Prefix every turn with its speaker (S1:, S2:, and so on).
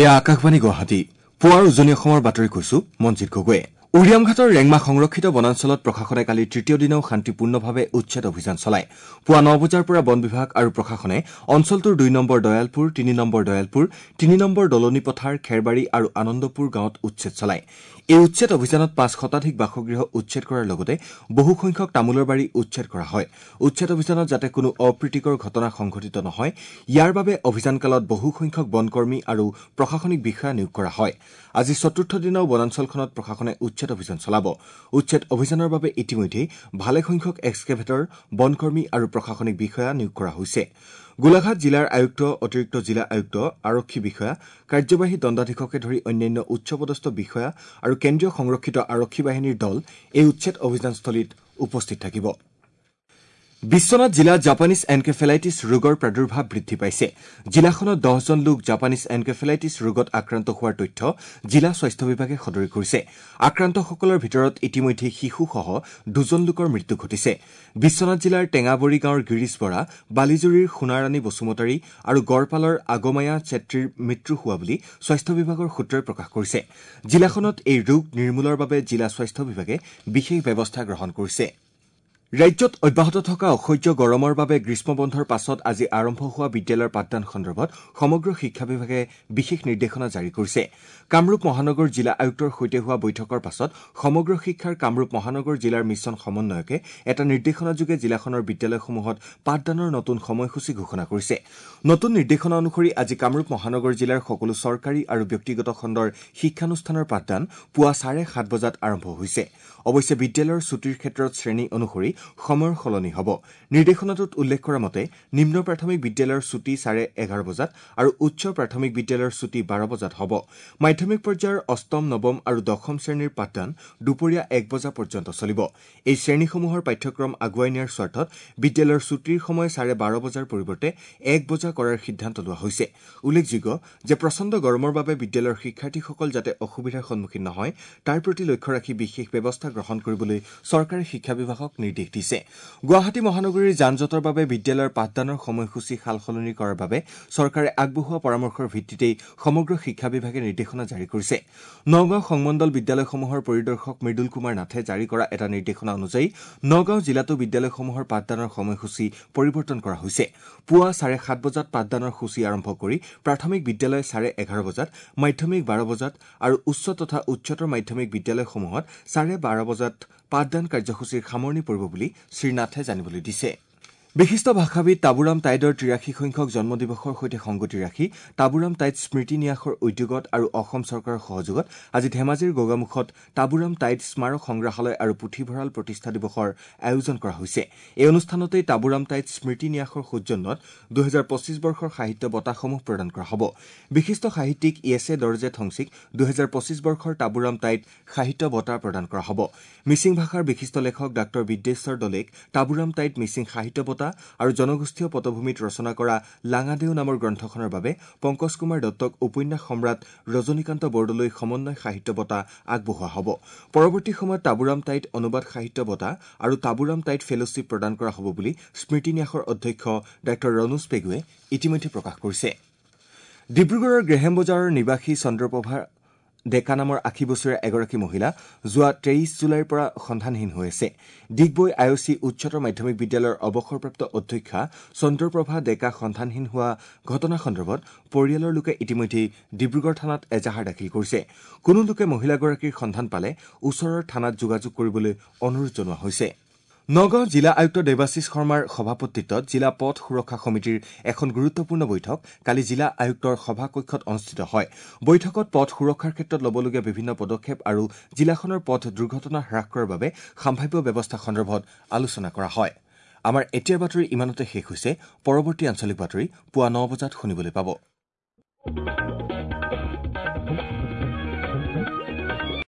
S1: এয়া আকাশবাণী গুৱাহাটী। পুৱাৰ উজনি অসমৰ বাতৰি কৈছো মঞ্জিত গগৈয়ে। উৰিয়ামঘাটৰ ৰেংমা সংৰক্ষিত বনাঞ্চলত প্ৰশাসনে কালি তৃতীয় দিনাও শান্তিপূৰ্ণভাৱে উচ্ছেদ অভিযান চলায়। পুৱা ৯ বজাৰ পৰা বন বিভাগ আৰু প্ৰশাসনে অঞ্চলটোৰ ২ number Dayalpur, ৩ number Dayalpur, ৩ number দলনি পথাৰ, খেৰবাৰী আৰু আনন্দপুৰ গাঁৱত উচ্ছেদ চলায়। এই উচ্ছেদ অভিযানত ৫ শতাধিক বাসগৃহ উচ্ছেদ কৰাৰ লগতে বহুসংখ্যক তামোলৰ বাৰী উচ্ছেদ কৰা হয়। উচ্ছেদ অভিযানত যাতে কোনো অপ্ৰীতিকৰ ঘটনা সংঘটিত নহয় ইয়াৰ বাবে অভিযানকালত বহুসংখ্যক বনকৰ্মী আৰু প্ৰশাসনিক বিষয়া নিয়োগ কৰা হয়। আজি চতুৰ্থ দিনাও বনাঞ্চলখনত প্ৰশাসনে উচ্ছেদ অভিযান চলাব। উচ্ছেদ অভিযানৰ বাবে ইতিমধ্যেই ভালেসংখ্যক এক্সকেভেটৰ, বনকৰ্মী আৰু প্ৰশাসনিক বিষয়া নিয়োগ কৰা হৈছে। গোলাঘাট জিলাৰ আয়ুক্ত, অতিৰিক্ত জিলা আয়ুক্ত, আৰক্ষী বিষয়া, কাৰ্যবাহী দণ্ডাধীশকে ধৰি অন্যান্য উচ্চপদস্থ বিষয়া আৰু কেন্দ্ৰীয় সংৰক্ষিত আৰক্ষী বাহিনীৰ দল এই উচ্ছেদ অভিযানস্থলীত উপস্থিত থাকিব। বিশ্বনাথ জিলাত জাপানীজ এনকেফেলাইটিছ ৰোগৰ প্ৰাদুৰ্ভাৱ বৃদ্ধি পাইছে। জিলাখনত ১০জন লোক জাপানীজ এনকেফেলাইটিছ ৰোগত আক্ৰান্ত হোৱাৰ তথ্য জিলা স্বাস্থ্য বিভাগে সদৰি কৰিছে। আক্ৰান্তসকলৰ ভিতৰত ইতিমধ্যে শিশুসহ ২জন লোকৰ মৃত্যু ঘটিছে। বিশ্বনাথ জিলাৰ টেঙাবৰী গাঁৱৰ গিৰীশ বৰা, বালিজুৰিৰ সোণাৰাণী বসুমতাৰী আৰু গড়পালৰ আগমায়া চেত্ৰীৰ মৃত্যু হোৱা বুলি স্বাস্থ্য বিভাগৰ সূত্ৰই প্ৰকাশ কৰিছে। জিলাখনত এই ৰোগ নিৰ্মূলৰ বাবে জিলা স্বাস্থ্য বিভাগে বিশেষ ব্যৱস্থা গ্ৰহণ কৰিছে। ৰাজ্যত অব্যাহত থকা অসহ্য গৰমৰ বাবে গ্ৰীষ্মবন্ধৰ পাছত আজি আৰম্ভ হোৱা বিদ্যালয়ৰ পাঠদান সন্দৰ্ভত সমগ্ৰ শিক্ষা বিভাগে বিশেষ নিৰ্দেশনা জাৰি কৰিছে। কামৰূপ মহানগৰ জিলা আয়ুক্তৰ সৈতে হোৱা বৈঠকৰ পাছত সমগ্ৰ শিক্ষাৰ কামৰূপ মহানগৰ জিলাৰ মিছন সমন্বয়কে এটা নিৰ্দেশনাযোগে জিলাখনৰ বিদ্যালয়সমূহত পাঠদানৰ নতুন সময়সূচী ঘোষণা কৰিছে। নতুন নিৰ্দেশনা অনুসৰি আজি কামৰূপ মহানগৰ জিলাৰ সকলো চৰকাৰী আৰু ব্যক্তিগত খণ্ডৰ শিক্ষানুষ্ঠানৰ পাঠদান পুৱা 7:30 বজাত আৰম্ভ হৈছে। অৱশ্যে বিদ্যালয়ৰ ছুটীৰ ক্ষেত্ৰত শ্ৰেণী অনুসৰি সময়ৰ সলনি হ'ব। নিৰ্দেশনাটোত উল্লেখ কৰা মতে নিম্ন প্ৰাথমিক বিদ্যালয়ৰ ছুটী 11:30 বজাত আৰু উচ্চ প্ৰাথমিক বিদ্যালয়ৰ ছুটী 12 বজাত হ'ব। মাধ্যমিক পৰ্যায়ৰ অষ্টম, নৱম আৰু দশম শ্ৰেণীৰ পাঠদান দুপৰীয়া 1 বজা পৰ্যন্ত চলিব। এই শ্ৰেণীসমূহৰ পাঠ্যক্ৰম আগুৱাই নিয়াৰ স্বাৰ্থত বিদ্যালয়ৰ ছুটীৰ সময় 12:30 বজাৰ পৰিৱৰ্তে 1 বজা কৰাৰ সিদ্ধান্ত লোৱা হৈছে। উল্লেখযোগ্য যে প্ৰচণ্ড গৰমৰ বাবে বিদ্যালয়ৰ শিক্ষাৰ্থীসকল যাতে অসুবিধাৰ সন্মুখীন নহয় তাৰ প্ৰতি লক্ষ্য ৰাখি বিশেষ ব্যৱস্থা গ্ৰহণ কৰিবলৈ চৰকাৰে শিক্ষা বিভাগক নিৰ্দেশ দিছে। গুৱাহাটী মহানগৰীৰ যান-জঁটৰ বাবে বিদ্যালয়ৰ পাঠদানৰ সময়সূচী সালসলনি কৰাৰ বাবে চৰকাৰে আগবঢ়োৱা পৰামৰ্শৰ ভিত্তিতেই সমগ্ৰ শিক্ষা বিভাগে নিৰ্দেশনা জাৰি কৰিছে। নগাঁও সংমণ্ডল বিদ্যালয়সমূহৰ পৰিদৰ্শক মৃদুল কুমাৰ নাথে জাৰি কৰা এটা নিৰ্দেশনা অনুযায়ী নগাঁও জিলাতো বিদ্যালয়সমূহৰ পাঠদানৰ সময়সূচী পৰিৱৰ্তন কৰা হৈছে। পুৱা 7:30 বজাত পাঠদানৰ সূচী আৰম্ভ কৰি প্ৰাথমিক বিদ্যালয় 11:30 বজাত, মাধ্যমিক 12 বজাত আৰু উচ্চ তথা উচ্চতৰ মাধ্যমিক বিদ্যালয়সমূহত 12:30 বজাত পাঠদান কাৰ্যসূচীৰ সামৰণি পৰিব বুলি শ্ৰীনাথে জানিবলৈ দিছে। বিশিষ্ট ভাষাবিদ টাবুৰাম টাইডৰ ৮৩ সংখ্যক জন্মদিৱসৰ সৈতে সংগতি ৰাখি টাবুৰাম টাইড স্মৃতি ন্যাসৰ উদ্যোগত আৰু অসম চৰকাৰৰ সহযোগত আজি ধেমাজিৰ গোগামুখত টাবুৰাম টাইড স্মাৰক সংগ্ৰহালয় আৰু পুথিভঁৰাল প্ৰতিষ্ঠা দিৱসৰ আয়োজন কৰা হৈছে। এই অনুষ্ঠানতেই টাবুৰাম টাইড স্মৃতি ন্যাসৰ সৌজন্যত ২০২৫ বৰ্ষৰ সাহিত্য বঁটাসমূহ প্ৰদান কৰা হ'ব। বিশিষ্ট সাহিত্যিক য়েছে দৰ্জে ঠংচিক ২০২৫ বৰ্ষৰ টাবুৰাম টাইড সাহিত্য বঁটা প্ৰদান কৰা হ'ব। মিচিং ভাষাৰ বিশিষ্ট লেখক ডাঃ বিদ্যেশ্বৰ দলেক টাবুৰাম টাইড মিচিং সাহিত্য বঁটা আৰু জনগোষ্ঠীয় পটভূমিত ৰচনা কৰা লাঙাদেউ নামৰ গ্ৰন্থখনৰ বাবে পংকজ কুমাৰ দত্তক উপন্যাস সম্ৰাট ৰজনীকান্ত বৰদলৈ সমন্বয় সাহিত্য বঁটা আগবঢ়োৱা হ'ব। পৰৱৰ্তী সময়ত টাবুৰাম টাইড অনুবাদ সাহিত্য বঁটা আৰু টাবুৰাম টাইড ফেলশ্বিপ প্ৰদান কৰা হ'ব বুলি স্মৃতি ন্যাসৰ অধ্যক্ষ ডাঃ ৰণোজ পেগুৱে ইতিমধ্যে প্ৰকাশ কৰিছে। ডিব্ৰুগড়ৰ গ্ৰেহেম বজাৰৰ নিবাসী চন্দ্ৰপ্ৰভা ডেকা নামৰ ৮০ বছৰীয়া এগৰাকী মহিলা যোৱা ২৩ জুলাইৰ পৰা সন্ধানহীন হৈ আছে। ডিগবৈ আই অ' চি উচ্চতৰ মাধ্যমিক বিদ্যালয়ৰ অৱসৰপ্ৰাপ্ত অধ্যক্ষা চন্দ্ৰপ্ৰভা ডেকা সন্ধানহীন হোৱা ঘটনা সন্দৰ্ভত পৰিয়ালৰ লোকে ইতিমধ্যেই ডিব্ৰুগড় থানাত এজাহাৰ দাখিল কৰিছে। কোনো লোকে মহিলাগৰাকীৰ সন্ধান পালে ওচৰৰ থানাত যোগাযোগ কৰিবলৈ অনুৰোধ জনোৱা হৈছে। নগাঁও জিলা আয়ুক্ত দেৱাশীষ শৰ্মাৰ সভাপতিত্বত জিলা পথ সুৰক্ষা সমিতিৰ এখন গুৰুত্বপূৰ্ণ বৈঠক কালি জিলা আয়ুক্তৰ সভাকক্ষত অনুষ্ঠিত হয়। বৈঠকত পথ সুৰক্ষাৰ ক্ষেত্ৰত ল'বলগীয়া বিভিন্ন পদক্ষেপ আৰু জিলাখনৰ পথ দুৰ্ঘটনা হ্ৰাস কৰাৰ বাবে সম্ভাৱ্য ব্যৱস্থা সন্দৰ্ভত আলোচনা কৰা হয়। আমাৰ এতিয়াৰ বাতৰি ইমানতে শেষ হৈছে। পৰৱৰ্তী আঞ্চলিক বাতৰি পুৱা ৯ বজাত শুনিবলৈ পাব।